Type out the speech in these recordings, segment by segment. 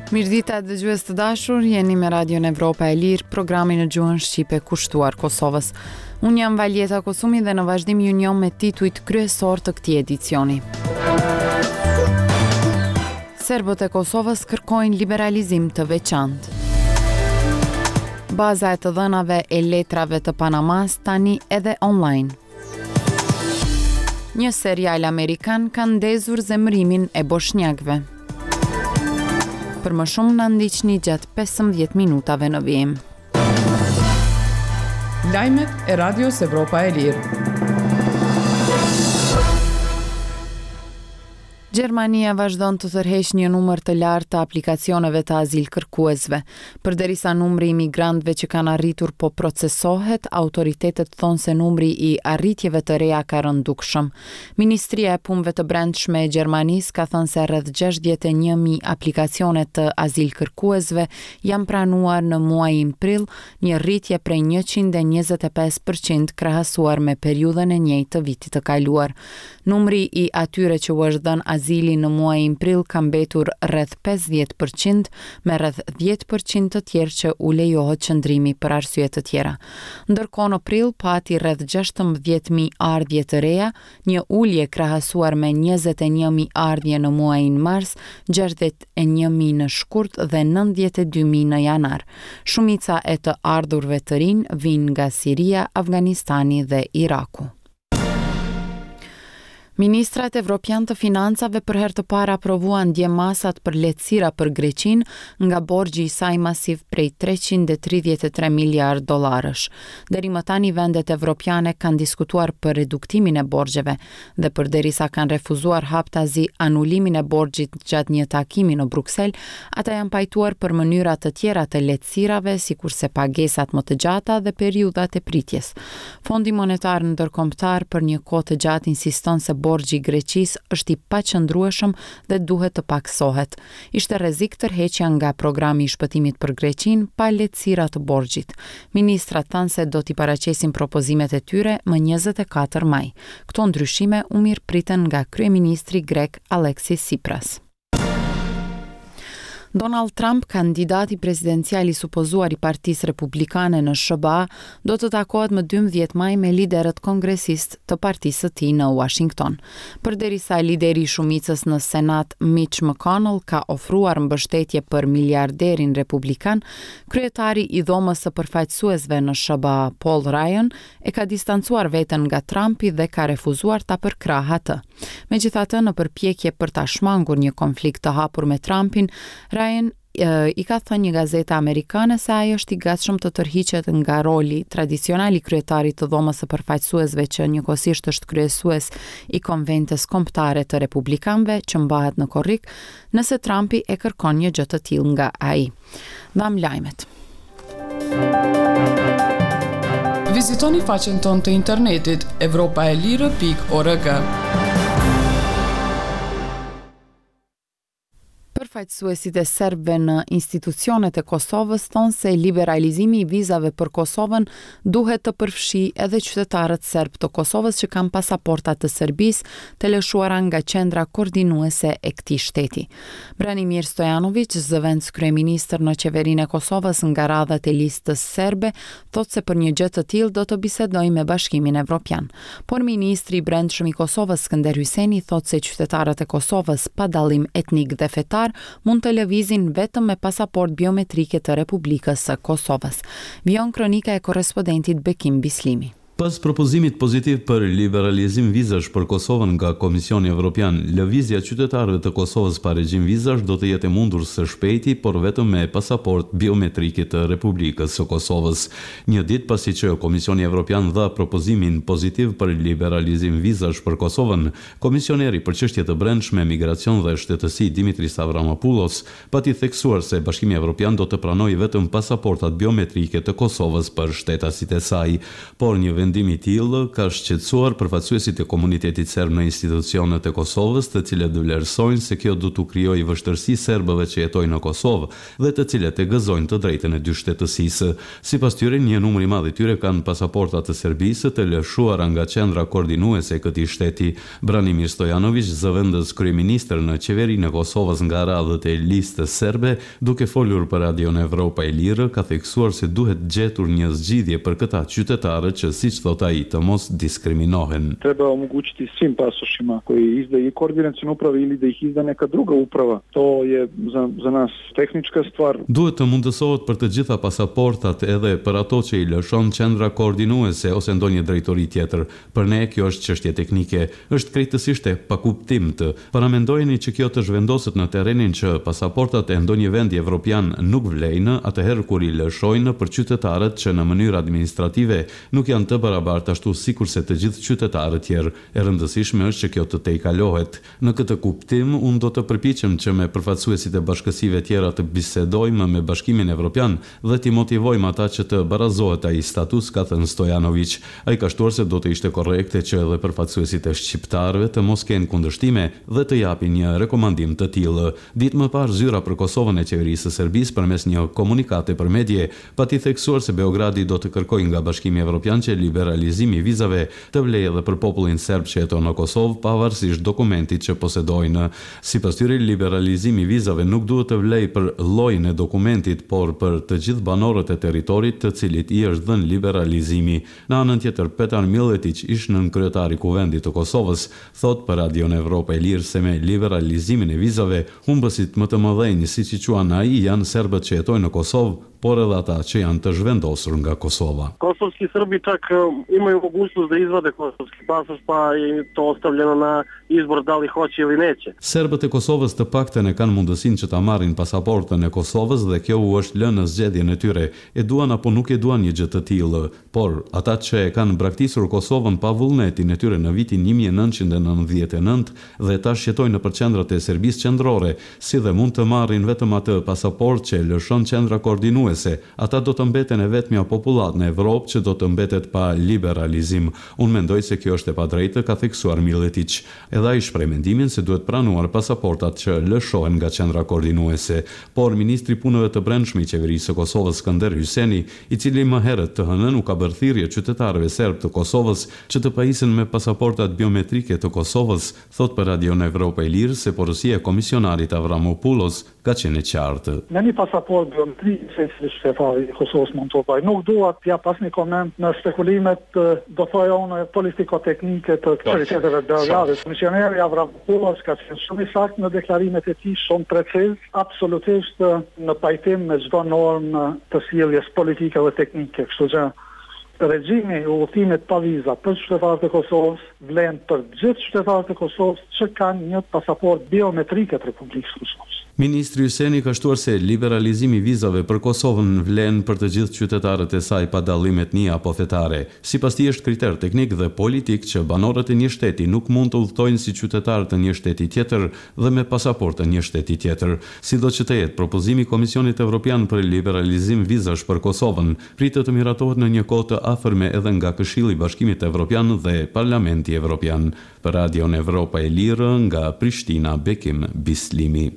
Mirëdita dëgjues të dashur, jeni me Radion Evropa e Lirë, programi në gjuhën shqipe kushtuar Kosovës. Unë jam Valjeta Kosumi dhe në vazhdim ju njoh me titujt kryesorë të këtij edicioni. Serbët e Kosovës kërkojnë liberalizim të veçantë. Baza e të dhënave e letrave të Panamas tani edhe online. Një serial amerikan ka ndezur zemërimin e boshnjakëve. Për më shumë na ndiqni gjatë 15 minutave në vijim. Lajmet e Radios Evropa e Lirë. Gjermania vazhdon të tërheqë një numër të lartë të aplikacioneve të azilkërkuesve. Përderisa numri i migrantëve që kanë arritur po procesohet, autoritetet thonë se numri i arritjeve të reja ka rënë dukshëm. Ministria e Punëve të Brendshme e Gjermanisë ka thënë se rreth 61.000 aplikacione të azilkërkuesve janë pranuar në muajin prill, një rritje prej 125 për qind krahasuar me periudhën e njëjtë të vitit të kaluar. Numri i atyre që u është dhënë azili në muajin prill ka mbetur rreth 50 për qind, me rreth 10 për qind të tjerë që u lejohet qëndrimi për arsye të tjera. Ndërkohë në prill pati rreth 16.000 ardhje të reja, një ulje krahasuar me 21.000 ardhje në muajin mars, 61.000 në shkurt dhe 92.000 në janar. Shumica e të ardhurve të rinj vijnë nga Siria, Afganistani dhe Iraku. Ministrat evropianë të financave për herë të parë aprovuan dje masat për lehtësira për Greqinë nga borxhi i saj masiv prej 333 miliardë dollarësh. Deri më tani vendet evropiane kanë diskutuar për reduktimin e borxheve dhe përderisa kanë refuzuar haptazi anulimin e borxhit gjatë një takimi në Bruksel, ata janë pajtuar për mënyra të tjera të lehtësirave, sikurse pagesat më të gjata dhe periudhat e pritjes. Fondi Monetar Ndërkombëtar për një kohë të gjatë insiston se borxhi i Greqisë është i paqëndrueshëm dhe duhet të pakësohet. Ishte rrezik tërheqja nga programi i shpëtimit për Greqinë pa lehtësira të borxhit. Ministrat thanë se do t'i paraqesin propozimet e tyre më 24 maj. Këto ndryshime u mirëpritën nga kryeministri grek Alexis Tsipras. Donald Trump, kandidati presidencial i supozuar i Partisë Republikane në SHBA, do të takohet më 12 maj me liderët kongresistë të partisë së tij në Washington. Përderisa lideri i shumicës në Senat, Mitch McConnell, ka ofruar mbështetje për miliarderin republikan, kryetari i Dhomës së Përfaqësuesve në SHBA, Paul Ryan, e ka distancuar veten nga Trumpi dhe ka refuzuar ta përkrahë atë. Megjithatë, në përpjekje për ta shmangur një konflikt të hapur me Trumpin, Ryan i ka thënë një gazete amerikane se ai është i gatshëm të tërhiqet nga roli tradicional i kryetarit të Dhomës së Përfaqësuesve që njëkohësisht është kryesues i Konventës Kombëtare të Republikanëve që mbahet në korrik, nëse Trumpi e kërkon një gjë të tillë nga ai. Dhamë lajmet. Vizitoni faqen tonë të internetit evropaelire.org. Përfaqësuesit e serbëve në institucionet e Kosovës thonë se liberalizimi i vizave për Kosovën duhet të përfshijë edhe qytetarët serbë të Kosovës që kanë pasaporta të Serbisë të lëshuara nga qendra koordinuese e këtij shteti. Branimir Stojanoviq, zëvendëskryeministër në Qeverinë e Kosovës nga radhët e Listës Serbe, thotë se për një gjë të tillë do të bisedojë me Bashkimin Evropian. Por ministri i Brendshëm i Kosovës, Skënder Hyseni, thotë se qytetarët e Kosovës, pa dallim etnik dhe fetar, mund të lëvizin vetëm me pasaportë biometrike të Republikës së Kosovës. Vijon kronika e korrespondentit Bekim Bislimi. Pas propozimit pozitiv për liberalizim vizash për Kosovën nga Komisioni Evropian, lëvizja e qytetarëve të Kosovës pa regjim vizash do të jetë e mundur së shpejti, por vetëm me pasaportë biometrike të Republikës së Kosovës. Një ditë pasi që Komisioni Evropian dha propozimin pozitiv për liberalizim vizash për Kosovën, Komisioneri për Çështje të Brendshme, Migracion dhe Shtetësi Dimitris Avramopoulos pati theksuar se Bashkimi Evropian do të pranojë vetëm pasaportat biometrike të Kosovës për shtetasit e saj. Por një vendim. vendim i tillë ka shqetësuar përfaqësuesit e komunitetit serb në institucionet e Kosovës, të cilët vlerësojnë se kjo do t'u krijojë vështirësi serbëve që jetojnë në Kosovë dhe të cilët e gëzojnë të drejtën e dyshtetësisë. Sipas tyre, një numër i madh i tyre kanë pasaporta të Serbisë të lëshuara nga qendra koordinuese e këtij shteti. Branimir Stojanoviq, zëvendës kryeministër në Qeverinë e Kosovës nga radhët e Listës Serbe, duke folur për Radion Evropa e Lirë, ka theksuar se duhet gjetur një zgjidhje për këta qytetarë që, siç thotë ai, të mos diskriminohen. Treba omogućiti svim pasošima koje izdaje i koordinaciona uprava ili da ih izda neka druga uprava. To je za, za nas tehnička stvar. Duhet të mundësohet për të gjitha pasaportat edhe për ato që i lëshon qendra koordinuese ose ndonjë drejtori tjetër. Për ne kjo është çështje teknike. Është krejtësisht e pakuptimtë. Paramendojeni që kjo të zhvendoset në terrenin që pasaportat e ndonjë vendi evropian nuk vlejnë atëherë kur i lëshojnë për qytetarët që në mënyrë administrative nuk janë të barabartë ashtu sikurse të gjithë qytetarët tjerë. E rëndësishme është që kjo të tejkalohet. Në këtë kuptim, unë do të përpiqem që me përfaqësuesit e bashkësive tjera të bisedojmë me Bashkimin Evropian dhe t'i motivojmë ata që të barazohet ai status, ka thënë Stojanoviq. Ai ka shtuar se do të ishte korrekte që edhe përfaqësuesit e shqiptarëve të mos kenë kundërshtime dhe të japin një rekomandim të tillë. Ditë më parë, Zyra për Kosovën e Qeverisë së Serbisë përmes një komunikate për medie pati theksuar se Beogradi do të kërkojë nga Bashkimi Evropian që liberalizimi i vizave të vlejë edhe për popullin serb që jeton në Kosovë, pavarësisht dokumentit që posedojnë. Sipas tyre, liberalizimi i vizave nuk duhet të vlejë për llojin e dokumentit, por për të gjithë banorët e territorit të cilit i është dhënë liberalizimi. Në anën tjetër, Petar Milletiq, ish-nënkryetar i Kuvendit të Kosovës, thotë për Radion Evropa e Lirë se me liberalizimin e vizave, humbësit më të mëdhenj, siç i quan ai, janë serbët që jetojnë në Kosovë, por edhe ata që janë të zhvendosur nga Kosova. Kosovski Srbi čak imaju mogućnost da izvade kosovski pasoš, pa je to ostavljeno na izbor da li hoće ili neće. Serbët e Kosovës të paktën e kanë mundësinë që ta marrin pasaportën e Kosovës dhe kjo u është lënë në zgjedhjen e tyre, e duan apo nuk e duan një gjë të tillë. Por, ata që e kanë braktisur Kosovën pa vullnetin e tyre në vitin 1999 dhe tash jetojnë nëpër qendrat e Serbisë qendrore, si dhe mund të marrin vetëm atë pasaportë që e lëshon qendra koordinuese, ata do të mbeten e vetmja popullatë në Evropë që do të mbetet pa liberalizim. Unë mendoj se kjo është e padrejtë, ka theksuar Milletiq. Edhe ai shpreh mendimin se duhet pranuar pasaportat që lëshohen nga qendra koordinuese. Por, ministri i Punëve të Brendshme i Qeverisë së Kosovës, Skënder Hyseni, i cili më herët të hënën u ka bërë thirrje qytetarëve serbë të Kosovës që të pajisen me pasaportat biometrike të Kosovës, thotë për Radion Evropa e Lirë se porosia e komisionarit Avramopoulos ka qenë e qartë. Me një pasaportë biometrike secili qytetar i Kosovës mund të udhëtojë. Nuk dua të jap asnjë koment në spekulimet, do thoja unë, politiko-teknike të autoriteteve të Beogradit. Komisioneri Avramopoulos ka qenë shumë i saktë në deklarimet e tij, shumë preciz, absolutisht në pajtim me çdo normë të sjelljes politike dhe teknike. Kështu që regjimi i udhëtimit pa viza për qytetarët e Kosovës vlen për gjithë qytetarët e Kosovës që kanë një pasaportë biometrike të Republikës së Kosovës. Ministri Hyseni ka shtuar se liberalizimi i vizave për Kosovën vlen për të gjithë qytetarët e saj pa dallim etnie apo fetare. Sipas tij është kriter teknik dhe politik që banorët e një shteti nuk mund të udhëtojnë si qytetarë të një shteti tjetër dhe me pasaportë të një shteti tjetër. Sido që të jetë, propozimi i Komisionit Evropian për liberalizim vizash për Kosovën pritet të miratohet në një kohë të afërme edhe nga Këshilli i Bashkimit Evropian dhe Parlamenti Evropian. Për Radion Evropa e Lirë, nga Prishtina, Bekim Bislimi.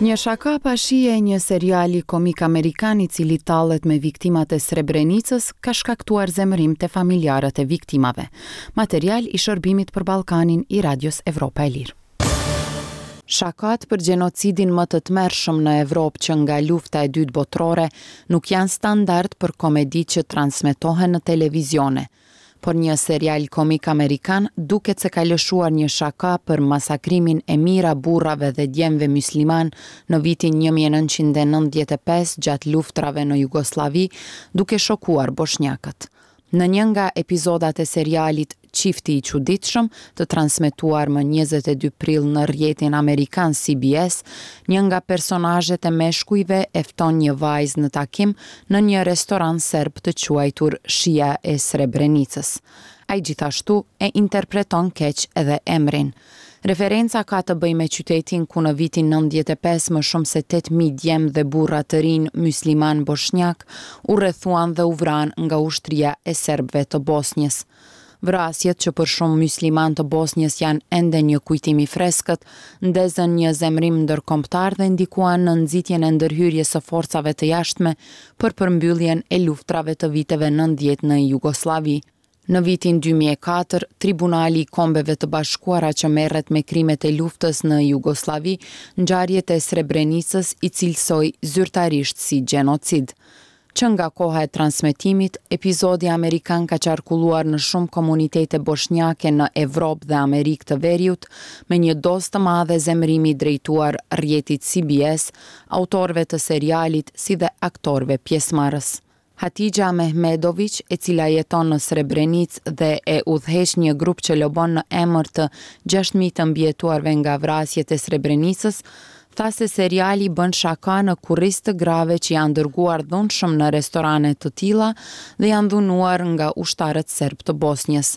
Një shaka pa shije e një seriali komik amerikan i cili tallet me viktimat e Srebrenicës ka shkaktuar zemërim te familjarët e viktimave. Material i shërbimit për Ballkanin i Radios Evropa e Lirë. Shakatë për gjenocidin më të tmerrshëm në Evropë që nga Lufta e Dytë Botërore nuk janë standard për komeditë që transmetohen në televizione. Por një serial komik amerikan duket se ka lëshuar një shaka për masakrimin e mijëra burrave dhe djemve myslimanë në vitin 1995 gjatë luftërave në Jugosllavi, duke shokuar boshnjakët. Në një nga epizodat e serialit Çifti i çuditshëm, të transmetuar më 22 prill në rrjetin amerikan CBS, një nga personazhet e meshkujve e fton një vajzë në takim në një restorant serb të quajtur Shija e Srebrenicës. Ai gjithashtu e interpreton keq edhe emrin. Referenca ka të bëjë me qytetin ku në vitin 95 më shumë se 8.000 djem dhe burra të rinj myslimanë boshnjakë u rrethuan dhe u vranë nga ushtria e serbëve të Bosnjës. Vrasjet që për shumë myslimanë të Bosnjës janë ende një kujtim i freskët, ndezën një zemërim ndërkombëtar dhe ndikuan në nxitjen e ndërhyrjes së forcave të jashtme për përmbylljen e luftërave të viteve 90 në Jugosllavi. Në vitin 2004, Tribunali i Kombeve të Bashkuara që merret me krimet e luftës në Jugosllavi, ngjarjet e Srebrenicës i cilësoi zyrtarisht si gjenocid. Që nga koha e transmetimit, episodi amerikan ka qarkulluar në shumë komunitete boshnjake në Evropë dhe Amerikë të Veriut, me një dozë të madhe zemërimi drejtuar rrjetit CBS, autorëve të serialit si dhe aktorëve pjesëmarrës. Hatixha Mehmedoviq, e cila jeton në Srebrenicë dhe e udhëheq një grup që lobon në emër të 6.000 të mbijetuarve nga vrasjet e Srebrenicës, tha se seriali bën shaka në kurriz të grave që janë dërguar dhunshëm në restorane të tilla dhe janë dhunuar nga ushtarët serbë të Bosnjës.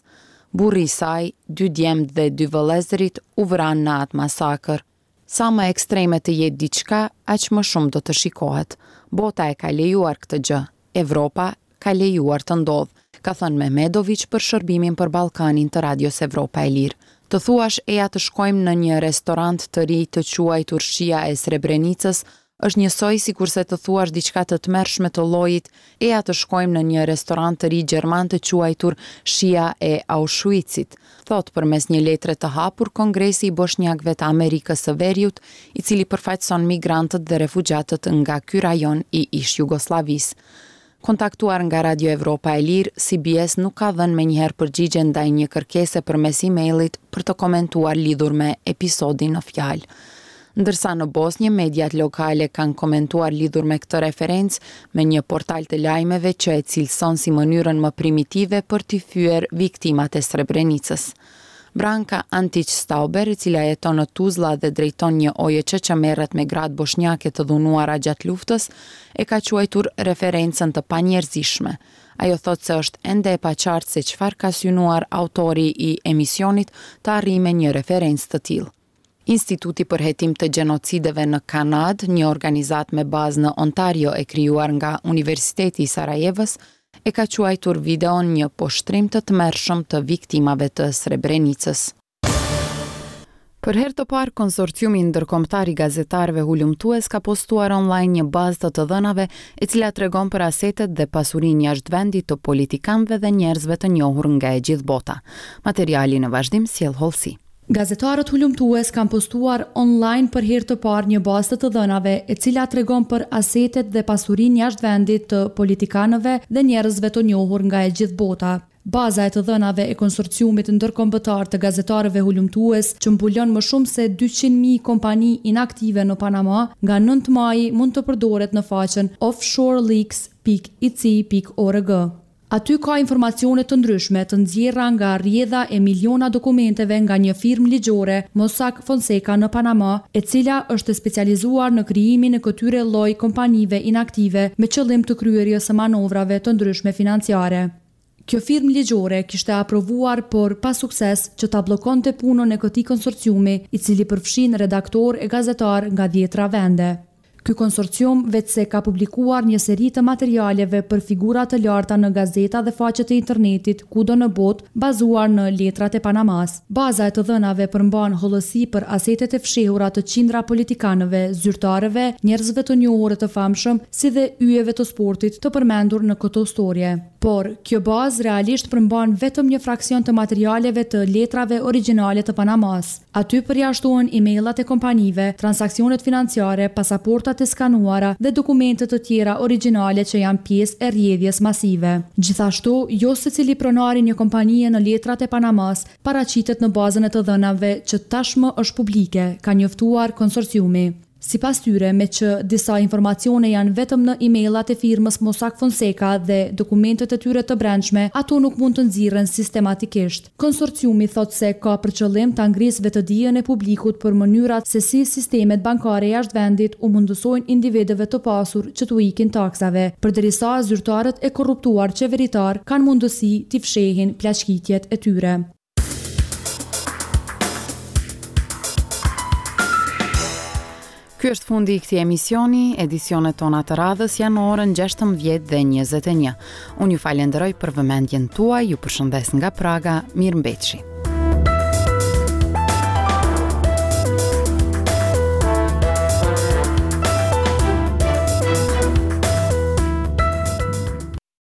Burri i saj, dy djemtë dhe dy vëllezërit u vranë në atë masakër. Sa më ekstreme të jetë diçka, aq më shumë do të shikohet. Bota e ka lejuar këtë gjë. Evropa ka lejuar të ndodhë, ka thënë Mehmedoviq për shërbimin për Ballkanin të Radios Evropa e Lirë. Të thuash eja të shkojmë në një restorant të ri të quajtur Shija e Srebrenicës është njësoj sikurse të thuash diçka të tmerrshme të llojit eja të shkojmë në një restorant të ri gjerman të quajtur Shija e Auschwitzit, thotë përmes një letre të hapur Kongresi i Boshnjakëve të Amerikës së Veriut, i cili përfaqëson migrantët dhe refugjatët nga ky rajon i ish-Jugosllavisë. Kontaktuar nga Radio Evropa e Lirë, CBS nuk ka dhënë menjëherë përgjigje ndaj një kërkese përmes emailit për të komentuar lidhur me episodin në fjalë. Ndërsa në Bosnjë, mediat lokale kanë komentuar lidhur me këtë referencë me një portal të lajmeve që e cilëson si mënyrën më primitive për t'i fyer viktimat e Srebrenicës. Branka Antić Stauber, e cila jeton në Tuzla dhe drejton një OJQ që merret me gratë boshnjake të dhunuara gjatë luftës, e ka quajtur referencën të panjerëzishme. Ajo thotë se është ende e paqartë se çfarë ka synuar autori i emisionit të arrijë me një referencë të tillë. Instituti për Hetim të Gjenocideve në Kanadë, një organizatë me bazë në Ontario e krijuar nga Universiteti i Sarajevës, e ka quajtur videon një poshtrim të tmerrshëm të viktimave të Srebrenicës. Për herë të parë, konsorciumi ndërkombëtar i gazetarëve hulumtues ka postuar online një bazë të të dhënave e cila tregon për asetet dhe pasurinë jashtë vendit të politikanëve dhe njerëzve të njohur nga e gjithë bota. Materiali në vazhdim sjell hollësi. Gazetarët hulumtues kanë postuar online për herë të parë një bazë të të dhënave e cila tregon për asetet dhe pasurinë jashtë vendit të politikanëve dhe njerëzve të njohur nga e gjithë bota. Baza e të dhënave e Konsorciumit Ndërkombëtar të Gazetarëve Hulumtues që mbulon më shumë se 200.000 kompani inaktive në Panama nga 9 maji mund të përdoret në faqen offshoreleaks pikë ic pikë org. Aty ka informacione të ndryshme të nxjerra nga rrjedha e miliona dokumenteve nga një firmë ligjore, Mossack Fonseca në Panama, e cila është e specializuar në krijimin e këtyre lloj kompanive inaktive me qëllim të kryerjes së manovrave të ndryshme financiare. Kjo firmë ligjore kishte aprovuar por pa sukses që ta bllokonte punën e këtij konsorciumi, i cili përfshin redaktorë e gazetarë nga dhjetra vende. Ky konsorcium veçse ka publikuar një seri të materialeve për figura të larta në gazeta dhe faqe të internetit kudo në botë, bazuar në letrat e Panamasë. Baza e të dhënave përmban hollësi për asetet e fshehura të qindra politikanëve, zyrtarëve, njerëzve të njohur e të famshëm, si dhe yjeve të sportit të përmendur në këto storje. Por, kjo bazë realisht përmban vetëm një fraksion të materialeve të letrave origjinale të Panamasë. Aty përjashtohen e-mailat e kompanive, transaksionet financiare, pasaportat e skanuara dhe dokumente të tjera origjinale që janë pjesë e rrjedhjes masive. Gjithashtu, jo secili pronar i një kompanie në letrat e Panamasë paraqitet në bazën e të dhënave që tashmë është publike, ka njoftuar konsorciumi. Sipas tyre, meqë disa informacione janë vetëm në e-mailat e firmës Mossack Fonseca dhe dokumentet e tyre të brendshme, ato nuk mund të nxirren sistematikisht. Konsorciumi thotë se ka për qëllim ta ngrisë vetëdijen e publikut për mënyrat se si sistemet bankare jashtë vendit u mundësojnë individëve të pasur që t'u ikin taksave, përderisa zyrtarët e korruptuar qeveritarë kanë mundësi t'i fshehin plaçkitjet e tyre. Ky është fundi i këtij emisioni, edicionet tona të radhës janë në orën 16 dhe 21. Unë ju falenderoj për vëmendjen tuaj, ju përshëndes nga Praga, mirëmbetshi.